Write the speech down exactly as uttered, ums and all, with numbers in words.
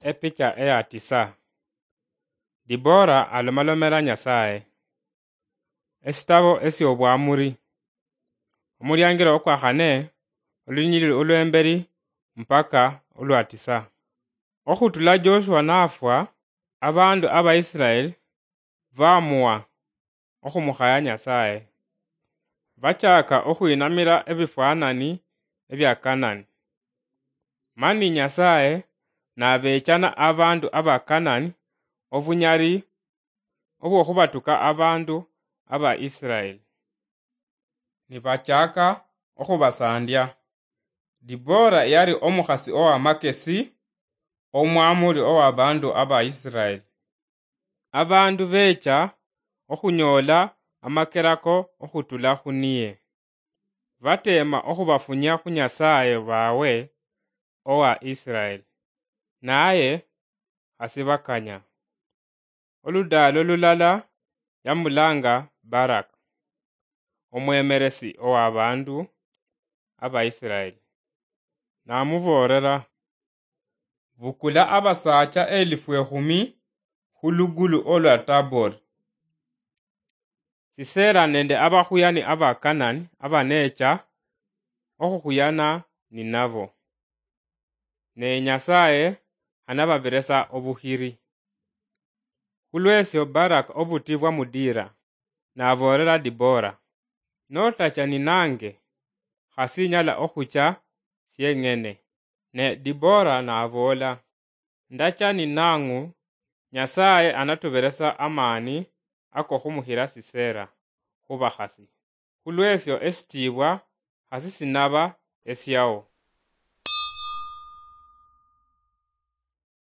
Epicha eya tisa. Dibora alomalomera Nyasaye. Esitabo esy'obwamuri. Omuliangiro okwa khane, olunyilili olw'emberi mpaka olwa tisa. Okhutula Joshua nafwa, abandu aba Israel bamuwa okhumukhaya Nyasaye. Bachaka okhwinamira ebifwanani ebya Kanani. Mani Nyasaye nabechana abandu aba Kanani obunyali obw'okhubatuka abandu aba Israel. Nibachaka okhubasandia. Dibora yali omukhasi ow'amakesi, omwamuli ow'abandu aba Israel. Abandu becha okhunyoola amakerako okhutula khuniye. Bateema okhubafunya khu Nyasaye bawe owa Israel, naye khasibakanya. Oludaalo lulala yamulanga Barak, omwemeresi owa bandu aba Israel, namuboolera, "Bukula abasaacha elifu ekhumi khu lugulu olwa Tabor." Sisera nende abakhuyani aba Kanani abanecha okhukhuyana ninabo. Ne Nyasaye anababiresa obukhiri. Khulwesyo Barak obuti bwamudiira, naboolera Dibora, "Notacha ninange, khasinyala okhucha syeng'ene." Ne Dibora naboola, "Ndacha ninang'u, Nyasaye anatuberesa amaani ako khumukhira Sisera khubakhasi. Khulwesyo esitiibwa khasi sinaba esyao."